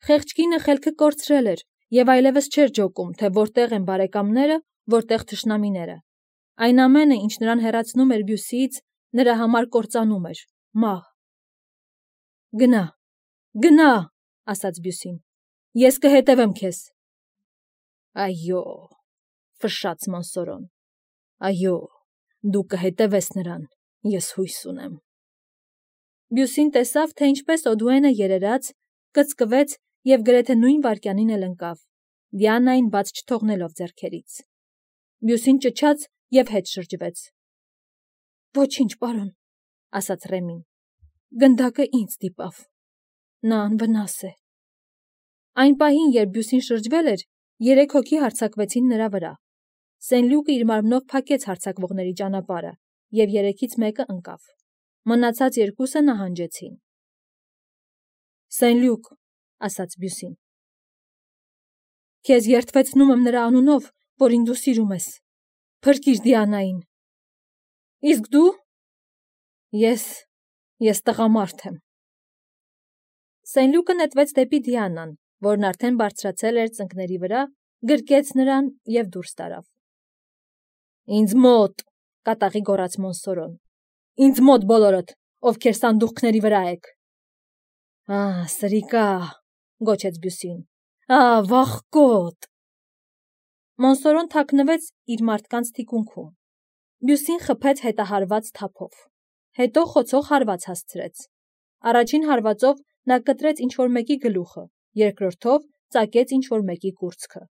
Խեղճ կինը խելքը կորցրել էր և այլևս չէր ջոկում, թե որտեղ են բարեկամները, որտեղ թշնամիները։ Այն ամենը, ինչ նրան հեռացնում էր Բյուսիից, նրա համար կործանում էր, մահ։ Գնա, գնա, ասաց Բյուսին, ես կհետևեմ քեզ։ Այո, ֆշշաց Մոնսորոն, այո, դու կհետևես նրան, ես հույս ունեմ։ Բյուսին տեսավ, թե ինչպես Օդուենը երերաց, կծկվեց և գրեթե նույն վայրկյանին էլ ընկավ, Դիանային բաց չթողնելով ձեռքերից։ Բյուսին ճչաց և հետ շրջվեց։ Ոչինչ, պարոն, ասաց Ռեմին, գնդակը ինձ դիպավ, նա անվնաս է։ Այն պահին, երբ Բյուսին շրջվել էր, 3 հոգի հարձակվեցին նրա վրա։ Սեն-Լյուկը իր մարմնով փակեց հարձակվողների ճանապարհը, և 3-ից մեկը ընկավ։ Մնացած 2-ը նահանջեցին։ Սեն-Լյուկ, ասաց Բյուսին, քեզ երդվեցնում եմ նրա անունով, որին դու սիրում ես, փրկիր Դիանային։ Իսկ դու։ Ես տղամարդ եմ։ Սեն-Լյուկը նետվեց դեպի Դիանան, որն արդեն բարձրացել էր ծնկների վրա, գրկեց նրան և դուրս տարավ։ Ինձ մոտ, կատաղի գոռաց Մոնսորոն, ինձ մոտ բոլորդ, ովքեր սանդուղքների վրա եք։ Սրիկա, գոչեց Բյուսին, վախկոտ։ Մոնսորոն թաքնվեց իր մարդկանց թիկունքում։ Բյուսին խփեց հետահարված թափով, հետո խոցող հարված հասցրեց։ Առաջին հարվածով նա կտրեց ինչ-որ մեկի գլուխը, երկրորդով ծակեց ինչ-որ մեկի կուրծքը։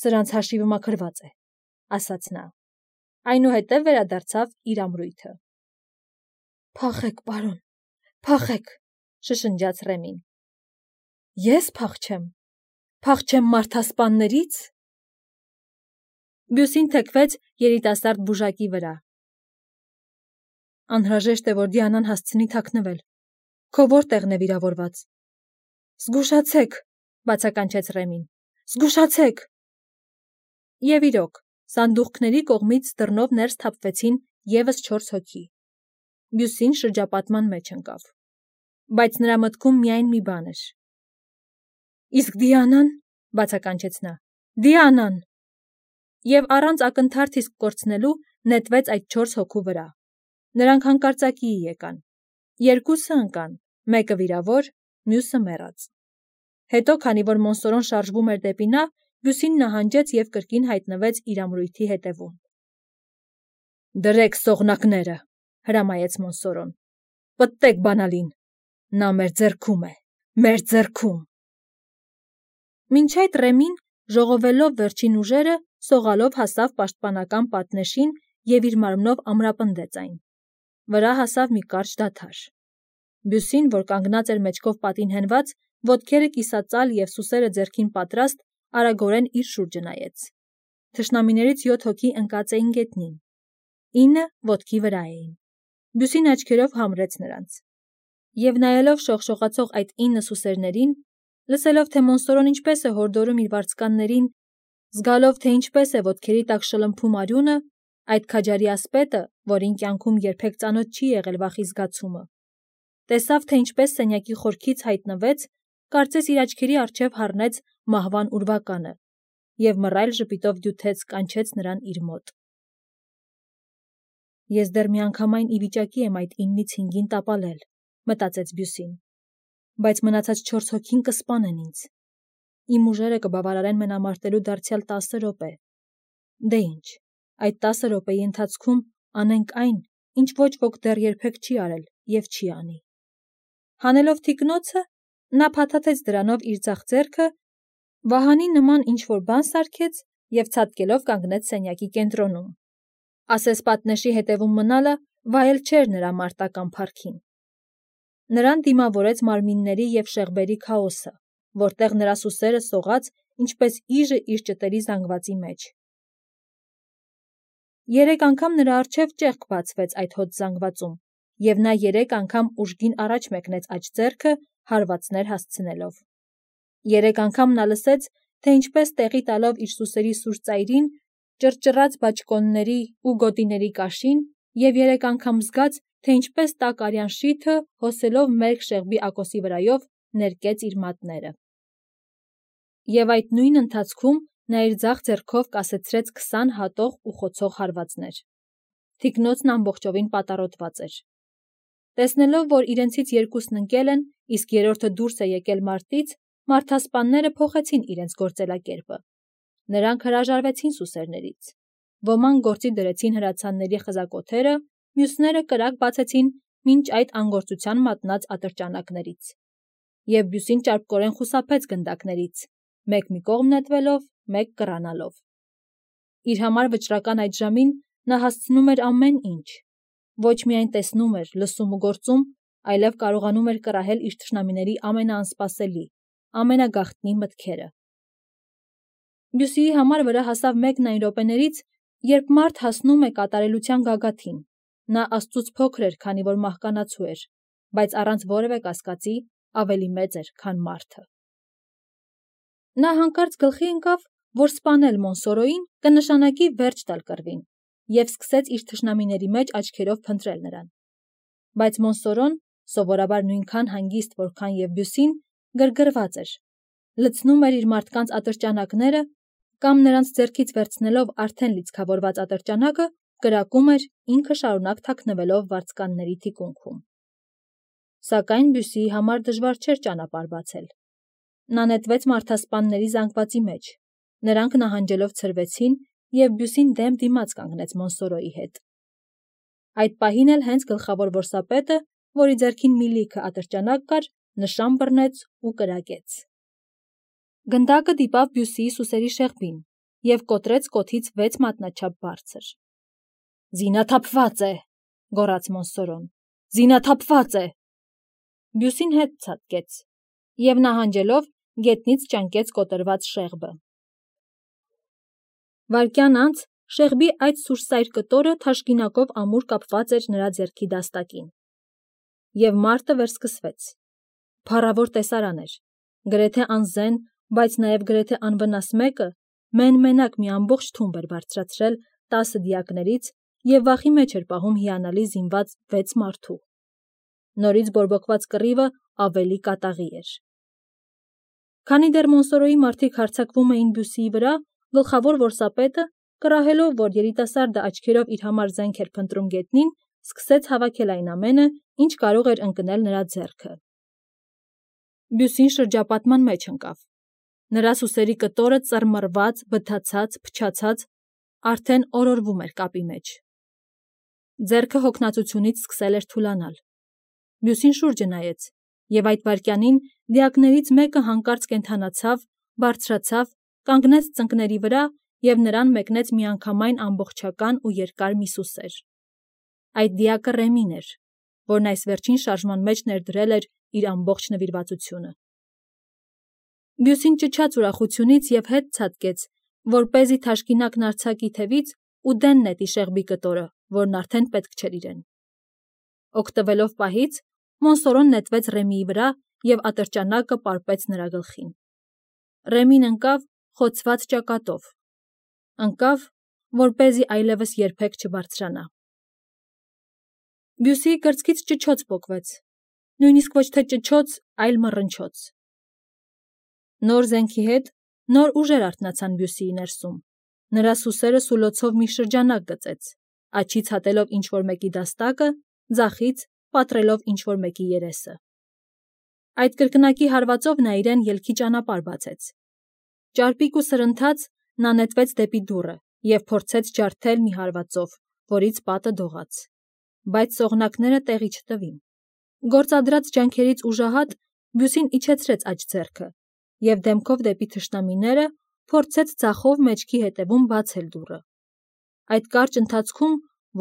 Սրանց հաշիվը մաքրված է, ասաց նա։ Այնուհետև վերադարձավ իր ամրույթը։ Փախեք, պարոն, փախեք, շշնջաց Ռեմին։ Ես փախչեմ մարդասպաններից։ Բյուսին թեքվեց երիտասարդ բուժակի վրա։ Անհրաժեշտ է, որ Դիանան հասցնի թաքնվել։ Քո որտեղն է վիրավորված։ Զգուշացեք, բացականչեց Ռեմին, զգուշացեք։ Եվ իրոք, սանդուղքների կողմից դռնով ներս թափվեցին ևս 4 հոգի։ Բյուսին շրջապատման մեջ ընկավ։ Բայց նրա մտքում միայն մի բան էր։ Իսկ Դիանան, բացականչեց նա, Դիանան։ Եվ առանց ակնթարթ իսկ կորցնելու նետվեց այդ 4 հոգու վրա։ Նրանք հանկարծակիի եկան։ 2-ը ընկան, մեկը վիրավոր, մյուսը մեռած։ Հետո, քանի որ Մոնսորոն շարժվում էր դեպի նա, Բյուսին նահանջեց և կրկին հայտնվեց իր ամրույթի հետևում։ Դրեք սողնակները, հրամայեց Մոնսորոն։ Պտտեք բանալին։ Նա մեր ձեռքում է, մեր ձեռքում։ Մինչ այդ Ռեմին, ժողովելով վերջին ուժերը, սողալով հասավ պաշտպանական պատնեշին և իր մարմնով ամրապնդեց այն։ Վրա հասավ մի կարճ դադար։ Բյուսին, որ կանգնած էր մեջքով պատին հենված, ոտքերը կիսածալ և սուսերը ձեռքին պատրաստ, արագորեն իր շուրջը նայեց։ Թշնամիներից 7 հոգի ընկած էին գետնին, 9 ոտքի վրա էին։ Բյուսին աչքերով համրեց նրանց։ Եվ նայելով շողշողացող այդ 9 սուսերներին, լսելով, թե Մոնսորոն ինչպես է հորդորում իր վարձկաններին, զգալով, թե ինչպես է ոտքերի տակ շլմփում արյունը, այդ քաջարի ասպետը, որին կյանքում երբեք ծանոթ չի եղել վախի զգացումը, տեսավ, թե ինչպես սենյակի խորքից հայտնվեց, կարծես իր աչքերի առջև հառնեց մահվան ուրվականը և մռայլ ժպիտով դյութեց, կանչեց նրան իր մոտ։ Ես դեռ միանգամայն ի վիճակի եմ այդ 9-ից 5-ին տապալել, մտածեց Բյուսին, բայց մնացած 4 հոգին կսպանեն ինձ։ Իմ ուժերը կբավարարեն մենամարտելու դարձյալ 10 րոպե։ Դե ինչ, այդ 10 րոպեի ընթացքում անենք այն, ինչ ոչ ոք դեռ երբեք չի արել և չի անի։ Հանելով թիկնոցը, նա փաթաթեց դրանով իր ձախ ձեռքը, վահանի նման ինչ-որ բան սարքեց և ցատկելով կանգնեց սենյակի կենտրոնում։ Ասես պատնեշի հետևում մնալը վայել չէր նրա մարտական փառքին։ Նրան դիմավորեց մարմինների և շեղբերի քաոսը, որտեղ նրա սուսերը սողաց, ինչպես իժը իր ճտերի զանգվածի մեջ։ 3 անգամ նրա առջև ճեղք բացվեց այդ հոծ զանգվածում, և նա 3 անգամ ուժգին առաջ մեկնեց աջ ձեռքը, հարվածներ հասցնելով։ 3 անգամ նա լսեց, թե ինչպես տեղի տալով իր սուսերի սուր ծայրին, ճռճռաց բաճկոնների ու գոտիների կաշին, և 3 անգամ զգաց, թե ինչպես տաք արյան շիթը, հոսելով մերկ շեղբի ակոսի վրայով, ներկեց իր մատները։ Եվ այդ նույն ընթացքում նա իր ձախ ձեռքով կասեցրեց 20 հատող ու խոցող հարվածներ։ Թիկնոցն ամբողջովին պատառոտված էր։ Տեսնելով, որ իրենցից երկուսն ընկել են, իսկ երրորդը դուրս է եկել մարտից, մարդասպանները փոխեցին իրենց գործելակերպը։ Նրանք հրաժարվեցին սուսերներից։ Ոմանք գործի դրեցին հրացանների խզակոթերը, մյուսները կրակ բացեցին մինչ այդ անգործության մատնած ատրճանակներից։ Եվ Բյուսին ճարպկորեն խուսափեց գնդակներից, մեկ մի կողմ նետվելով, մեկ կռանալով։ Իր համար վճռական այդ ժամին նա հասցնում էր ամեն ինչ։ Ոչ միայն տեսնում էր, լսում ու գործում, այլև կարողանում էր կռահել իր թշնամիների ամենաանսպասելի, ամենագաղտնի մտքերը։ Բյուսիի համար վրա հասավ մեկն այն րոպեներից, երբ մարդ հասնում է կատարելության գագաթին։ Նա Աստծուց փոքր էր, քանի որ մահկանացու էր, բայց առանց որևէ կասկածի ավելի մեծ էր, քան մարդը։ Նա հանկարծ գլխի ընկավ, որ սպանել Մոնսորոյին կնշանակի վերջ տալ կռվին, և սկսեց իր թշնամիների մեջ աչքերով փնտրել նրան։ Բայց Մոնսորոն, սովորաբար նույնքան հանգիստ, որքան և Բյուսին, գրգռված էր, լցնում էր իր մարդկանց ատրճանակները կամ նրանց ձեռքից վերցնելով արդեն լիցքավորված ատրճանակը, կրակում էր, ինքը շարունակ թաքնվելով վարձկանների թիկունքում։ Սակայն Բյուսիի համար դժվար չէր ճանապարհ բացել։ Նա նետվեց մարդասպանների զանգվածի մեջ, նրանք նահանջելով ցրվեցին, և Բյուսին դեմ դիմաց կանգնեց Մոնսորոյի հետ։ Այդ պահին էլ հենց գլխավոր որսապետը, որի ձեռքին մի լիքը ատրճանակ կար, նշան բռնեց ու կրակեց։ Գնդակը դիպավ Բյուսիի սուսերի շեղբին և կոտրեց կոթից 6 մատնաչափ բարձր։ «Զինաթափված է», գոռաց Մոնսորոն, «զինաթափված է»։ Բյուսին հետ ցատկեց և նահանջելով գետնից ճանկեց կոտրված շեղբը։ Վայրկյան անց շեղբի այդ սուրսայր կտորը թաշկինակով ամուր կապված էր նրա ձեռքի դաստակին։ Եվ մարտը վերսկսվեց։ Փառավոր տեսարան էր։ Գրեթե անզեն, բայց նաև գրեթե անվնաս մեկը մեն-մենակ մի ամբողջ թումբ էր բարձրացրել 10 դիակներից և վախի մեջ էր պահում հիանալի զինված 6 մարդու։ Նորից բորբոքված կռիվը ավելի կատաղի էր։ Քանի դեռ Մոնսորոյի մարդիկ հարձակվում էին Բյուսիի վրա, գլխավոր որսապետը, կռահելով, որ երիտասարդը աչքերով իր համար զենք էր փնտրում գետնին, սկսեց հավաքել այն ամենը, ինչ կարող էր ընկնել նրա ձեռքը։ Բյուսին շրջապատման մեջ ընկավ։ Նրա սուսերի կտորը ծռմռված, բթացած, փչացած, արդեն օրորվում էր կապի մեջ։ Ձեռքը հոգնածությունից սկսել էր թուլանալ։ Բյուսին շուրջը նայեց, և այդ վայրկյանին դիակներից մեկը հանկարծ կենդանացավ, բարձրացավ, կանգնեց ծնկների վրա և նրան մեկնեց միանգամայն ամբողջական ու երկար մի սուսեր։ Այդ դիակը Ռեմին էր, որն այս վերջին շարժման մեջ ներդրել էր իր ամբողջ նվիրվածությունը։ Բյուսին ճչաց ուրախությունից և հետ ցատկեց, որպեսզի թաշկինակն արձակի թևից ու դեն նետի շեղբի կտորը, որն արդեն պետք չէր իրեն։ Օգտվելով պահից, Մոնսորոն նետվեց Ռեմիի վրա և ատրճանակը պարպեց նրա գլխին։ Ռեմին ընկավ խոցված ճակատով։ Ընկավ, որպեսզի այլևս երբեք չբարձրանա։ Բյուսիի կրծքից ճչոց պոկվեց, նույնիսկ ոչ թե ճչոց, այլ մռնչոց։ Նոր զենքի հետ նոր ուժեր արթնացան Բյուսիի ներսում։ Նրա սուսերը սուլոցով մի շրջանակ գծեց, աջից հատելով ինչ-որ մեկի դաստակը, ձախից պատռելով ինչ-որ մեկի երեսը։ Այդ կրկնակի հարվածով նա իրեն ելքի ճանապարհ բացեց։ Ճարպիկ ու սրընթաց նա նետվեց դեպի դուռը և փորձեց ջարդել մի հարվածով, որից պատը դողաց։ Բայց սողնակները տեղի չտվին։ Գործադրած ջանքերից ուժահատ Բյուսին իջեցրեց աջ ձեռքը և դեմքով դեպի թշնամիները փորձեց ձախով մեջքի հետևում բացել դուռը։ Այդ կարճ ընթացքում,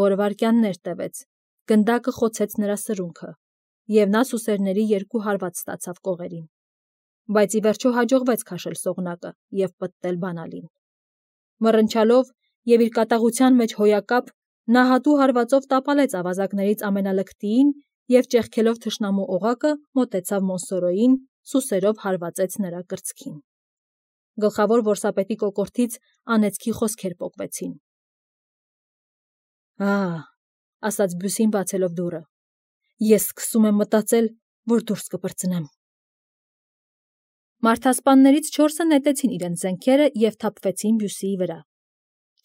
որը վայրկյաններ տևեց, գնդակը խոցեց նրա սրունքը, և նա սուսերների 2 հարված ստացավ կողերին։ Բայց ի վերջո հաջողվեց քաշել սողնակը և պտտել բանալին։ Մռնչալով և իր կատաղության մեջ հոյակապ, նա հատու հարվածով տապալեց ավազակներից ամենալկտիին և ճեղքելով թշնամու օղակը մոտեցավ Մոնսորոյին, սուսերով հարվածեց նրա կրծքին։ Գլխավոր որսապետի կոկորդից անեծքի խոսքեր պոկվեցին։ «Ահ», ասաց Բյուսին բացելով դուռը, «ես սկսում եմ մտածել, որ դուրս կպրծնեմ»։ Մարդասպաններից 4-ը նետեցին իրենց զենքերը և թափվեցին Բյուսիի վրա։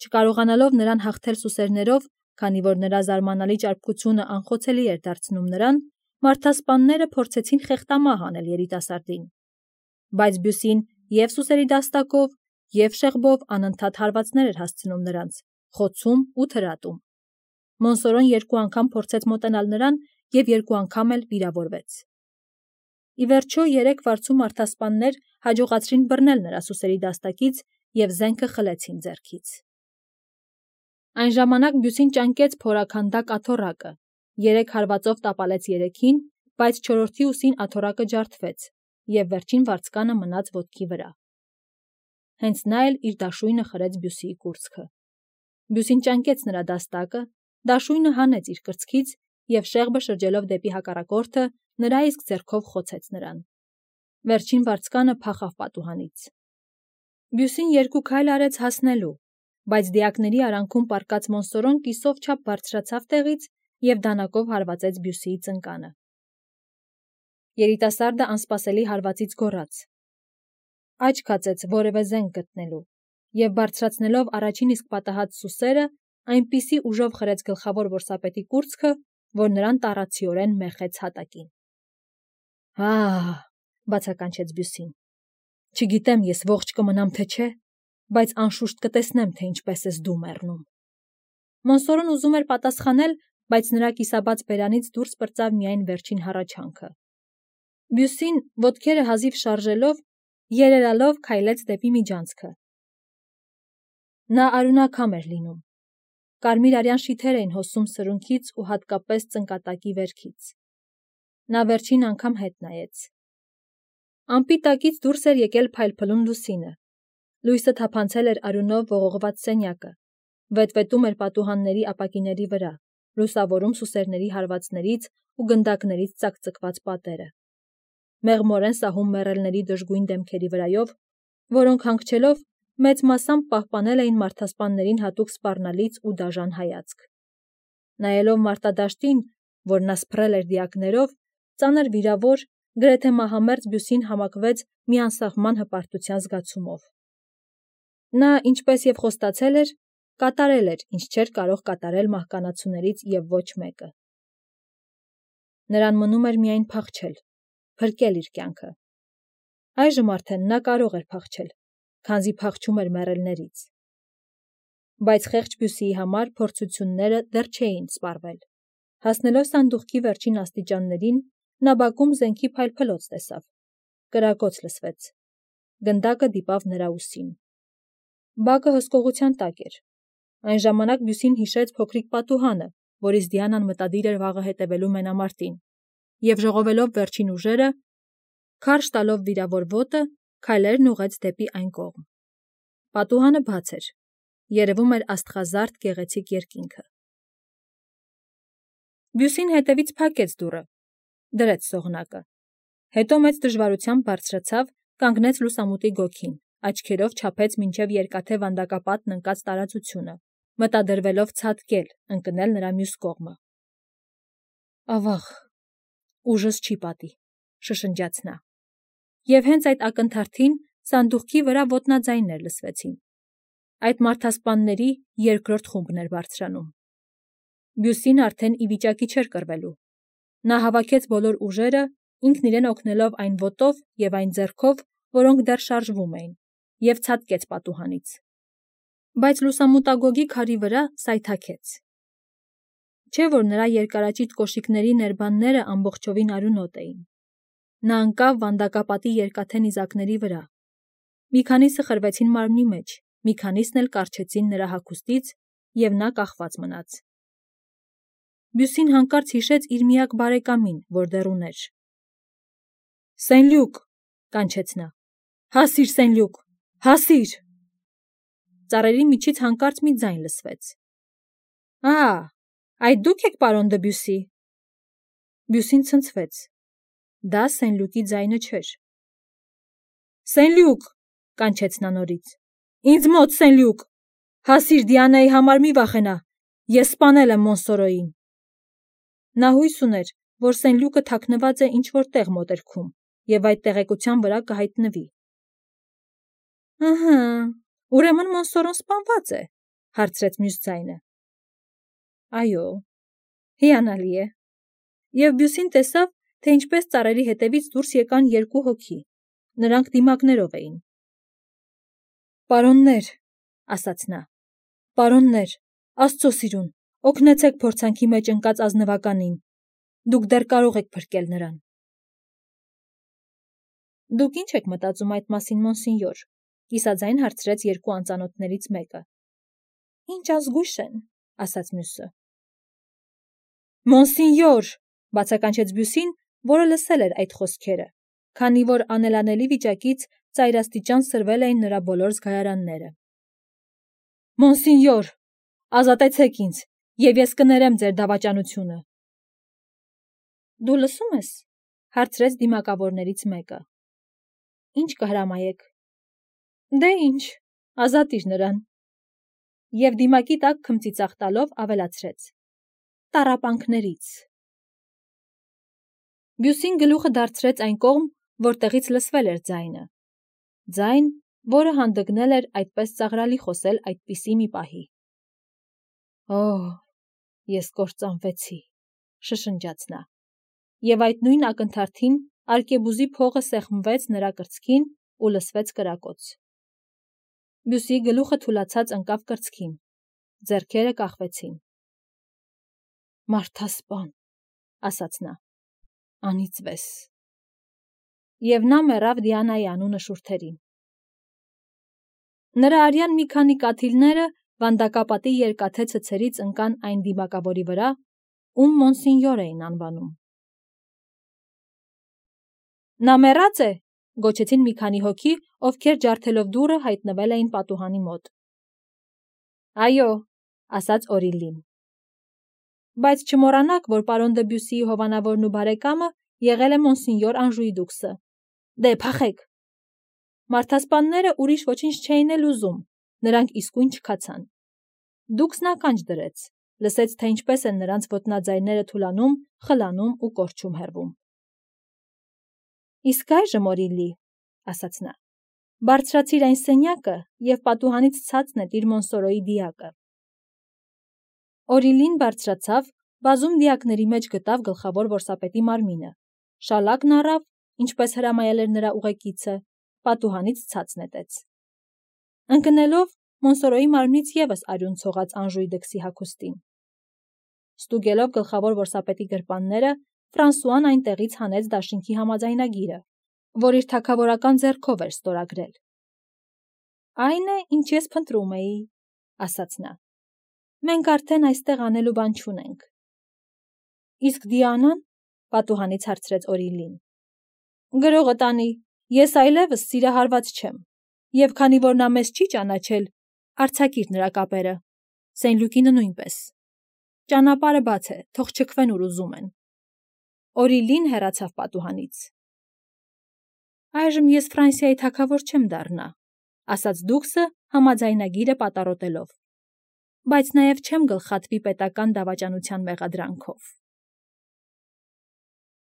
Չկարողանալով նրան հաղթել սուսերներով, քանի որ նրա զարմանալի ճարպկությունը անխոցելի էր դարձնում նրան, մարդասպանները փորձեցին խեղդամահ անել երիտասարդին։ Բայց Բյուսին և սուսերի դաստակով, և շեղբով անընդհատ հարվածներ էր հասցնում նրանց, խոցում ու թրատում։ Մոնսորոն 2 անգամ փորձեց մոտենալ նրան և 2 անգամ էլ վիրավորվեց։ Ի վերջո 3 վարձու մարդասպաններ հաջողացրին բռնել նրա սուսերի դաստակից և զենքը խլեցին ձեռքից։ Այն ժամանակ Բյուսին ճանկեց փորաքանդակ աթոռակը, 3 հարվածով տապալեց 3-ին, բայց 4-րդի ուսին աթոռակը ջարդվեց, և վերջին վարձկանը մնաց ոտքի վրա։ Հենց նա էլ իր դաշույնը խրեց Բյուսիի կուրծքը։ Բյուսին ճանկեց նրա դաստակը, դաշույնը հանեց իր կրծքից և շեղբը շրջելով դեպի հակառակորդը, նրա իսկ ձեռքով խոցեց նրան։ Վերջին վարձկանը փախավ պատուհանից։ Բյուսին 2 քայլ արեց հասնելու, բայց դիակների արանքում պառկած Մոնսորոն կիսով չափ բարձրացավ տեղից և դանակով հարվածեց Բյուսիի ծնկանը։ Երիտասարդը անսպասելի հարվածից գոռաց։ Աչք հացեց որևէ զենք գտնելու և բարձրացնելով առաջին իսկ պատահած սուսերը, այնպիսի ուժով խրեց գլխավոր որսապետի կուրծքը, որ նրան տառացիորեն մեխեց հատակին։ «Ահ», բացականչեց Բյուսին, «չգիտեմ ես ողջ կմնամ թե չէ, բայց անշուշտ կտեսնեմ, թե ինչպես ես դու մեռնում»։ Մոնսորոն ուզում էր պատասխանել, բայց նրա կիսաբաց բերանից դուրս պրծավ միայն վերջին հառաչանքը։ Բյուսին, ոտքերը հազիվ շարժելով, երերալով քայլեց դեպի միջանցքը։ Նա արյունակամ էր լինում։ Կարմիր արյան շիթեր էին հոսում սրունքից ու հատկապես ծնկատակի վերքից։ Նա վերջին անգամ հետ նայեց։ Ամպի տակից դուրս էր եկել փայլփլուն լուսինը։ Լույսը թափանցել էր արյունով ողողված սենյակը, վետվետում էր պատուհանների ապակիների վրա, լուսավորում սուսերների հարվածներից ու գնդակներից ծակծկված պատերը։ Մեղմորեն սահում մեռելների դժգույն դեմքերի վրայով, որոնք հանգչելով մեծ մասամբ պահպանել էին մարդասպաններին հատուկ սպառնալից ու դաժան հայացք։ Նայելով մարտադաշտին, որ նա սփռել էր դիակներով, ծանր վիրավոր, գրեթե մահամերձ Բյուսին համակվեց մի անսահման հպարտության զգացումով։ Նա, ինչպես և խոստացել էր, կատարել էր, ինչ չէր կարող կատարել մահկանացուներից և ոչ մեկը։ Նրան մնում էր միայն փախչել, փրկել իր կյանքը։ Այժմ արդեն նա կարող էր փախչել, քանզի փախչում էր մեռելներից։ Բայց խեղճ Բյուսիի համար փորձությունները դեռ չէին սպառվել։ Հասնելով սանդուղքի վերջին աստիճաններին, նա բակում զենքի փայլփլոց տեսավ։ Կրակոց լսվեց։ Գնդակը դիպավ նրա ուսին։ Բակը հսկողության տակ էր։ Այն ժամանակ Բյուսին հիշեց փոքրիկ պատուհանը, որից Դիանան մտադիր էր վաղը հետևելու մենամարտին, և ժողովելով վերջին ուժերը, քարշ տալով վիրավոր ոտը, քայլերն ուղղեց դեպի այն կողմ։ Պատուհանը բաց էր։ Երևում էր աստղազարդ գեղեցիկ երկինքը։ Բյուսին հետևից փակեց դուռը, դրեց սողնակը։ Հետո մեծ դժվարությամբ բարձրացավ, կանգնեց լուսամուտի գոգին, աչքերով չափեց մինչև երկաթե վանդակապատն ընկած տարածությունը, մտադրվելով ցատկել, ընկնել նրա մյուս կողմը։ Ավաղ, ուժս չի պատի, շշնջաց նա։ Եվ հենց այդ ակնթարթին սանդուղքի վրա ոտնաձայներ լսվեցին։ Այդ մարդասպանների 2-րդ խումբն էր բարձրանում։ Բյուսին արդեն ի վիճակի չէր կռվելու։ Նա հավաքեց բոլոր ուժերը, ինքն իրեն օգնելով այն ոտով և այն ձեռքով, որոնք դեռ շարժվում էին, և ցատկեց պատուհանից։ Բայց լուսամուտագոգի քարի վրա սայթաքեց։ Չէ՞ որ նրա երկարաճիտ կոշիկների ներբանները ամբողջովին արյունոտ էին։ Նա ընկավ վանդակապատի երկաթե նիզակների վրա։ Մի քանիսը խրվեցին մարմնի մեջ, մի քանիսն էլ կառչեցին նրա հագուստից, և նա կախված մնաց։ Բյուսին հանկարծ հիշեց իր միակ բարեկամին, որ դեռ ուներ։ «Սենլյուկ», կանչեց նա, «հասիր, Սենլյուկ, հասիր»։ Ծառերի միջից հանկարծ մի ձայն լսվեց։ Այդ դուք եք, պարոն Դբյուսի։ Բյուսին ցնցվեց։ Դա Սենլյուկի ձայնը չէր։ «Սենլյուկ», կանչեց նա նորից, «ինձ մոտ, Սենլյուկ, հասիր, Դիանայի համար մի վախենա, ես սպանել եմ Մոնսորոյին»։ Նա հույս ուներ, որ Սենլյուկը թաքնված է ինչ-որ տեղ մոտերքում և այդ տեղեկության վրա կհայտնվի։ Ահա, ուրեմն Մոնսորոն սպանված է, հարցրեց մյուս ձայնը։ Այո, հիանալի է։ Եվ Բյուսին տեսավ, թե ինչպես ծառերի հետևից դուրս եկան երկու հոգի, նրանք դիմակներով էին։ Պարոններ, ասաց նա, պարոններ, Աստծո սիրուն, օգնեցեք փորձանքի մեջ ընկած ազնվականին, դուք դեռ կարող եք փրկել նրան։ Դուք ինչ եք մտածում այդ մասին, մոնսինյոր, կիսաձայն հարցրեց երկու անծանոթներից մեկը։ Ինչ ազգույշ են, ասաց մյուսը։ Մոնսինյոր, բացականչեց Բյուսին, որը լսել էր այդ խոսքերը, քանի որ անելանելի վիճակից ծայրաստիճան սրվել էին նրա բոլոր զգայարանները։ Մոնսինյոր, ազատեցեք ինձ, և ես կներեմ ձեր դավաճանությունը։ Դու լսում ես, հարցրեց դիմակավորներից մեկը։ Ինչ կհրամայեք։ Դե ինչ, ազատիր նրան։ Եվ դիմակի տակ քմծիծաղ տալով ավելացրեց. Տառապանքներից։ Բյուսին գլուխը դարձրեց այն կողմ, որտեղից լսվել էր ձայնը։ Ձայն, որը հանդգնել էր այդպես ծաղրալի խոսել այդպիսի մի պահի։ Օհ, ես կործանվեցի, շշնջաց նա։ Եվ այդ նույն ակնթարթին արկեբուզի փողը սեղմվեց նրա կրծքին ու լսվեց կրակոց։ Բյուսի գլուխը թուլացած ընկավ կրծքին, ձեռքերը կախվեցին։ Մարդասպան, ասաց նա, անիծվես։ Եվ նա մեռավ Դիանայի անունը շուրթերին։ Նրա արյան մի քանի կաթիլները վանդակապատի երկաթե ցցերից ընկան այն դիմակավորի վրա, ում մոնսինյոր էին անվանում։ Նա մեռած է, գոչեցին մի քանի հոգի, ովքեր ջարդելով դուռը հայտնվել էին պատուհանի մոտ։ Այո, ասաց Օրիլին։ Բայց չմոռանաք, որ պարոն դը Բյուսիի հովանավորն ու բարեկամը եղել է մոնսինյոր Անժուի դուքսը։ Դե փախեք։ Մարդասպանները ուրիշ ոչինչ չէին էլ ուզում, նրանք իսկույն չքացան։ Դուքսն ականջ դրեց, լսեց, թե ինչպես են նրանց ոտնաձայները թուլանում, խլանում ու կորչում հեռվում։ Իսկ այժմ, Օրիլի, ասաց նա, բարձրացիր այն սենյակը և պատուհանից ցած նետիր Մոնսորոյի դիակը։ Օրիլին բարձրացավ, բազում դիակների մեջ գտավ գլխավոր որսապետի մարմինը, շալակն առավ, ինչպես հրամայել էր նրա ուղեկիցը, պատուհանից ցած նետեց։ Ընկնելով Մոնսորոյի մարմնից ևս արյուն ցողաց Անժուի դքսի հագուստին։ Ստուգելով գլխավոր որսապետի գրպանները, Ֆրանսուան այնտեղից հանեց դաշինքի համաձայնագիրը, որ իր թագավորական ձեռքով էր ստորագրել։ Այն է, ինչ ես փնտրում էի, ասաց նա։ Մենք արդեն այստեղ անելու բան չունենք։ Իսկ Դիանան, պատուհանից հարցրեց Օրիլին։ Գրողը տանի, ես այլևս սիրահարված չեմ, և քանի որ նա մեզ չի ճանաչել, արձակիր նրա կապերը, Սեն-Լյուկինը նույնպես։ Ճանապարհը բաց է, թող չքվեն ուր ուզում են։ Օրիլին հեռացավ պատուհանից։ Այժմ ես Ֆրանսիայի թագավոր չեմ դառնա, ասաց դուքսը համաձայնագիրը պատառոտելով, բայց նաև չեմ գլխատվի պետական դավաճանության մեղադրանքով։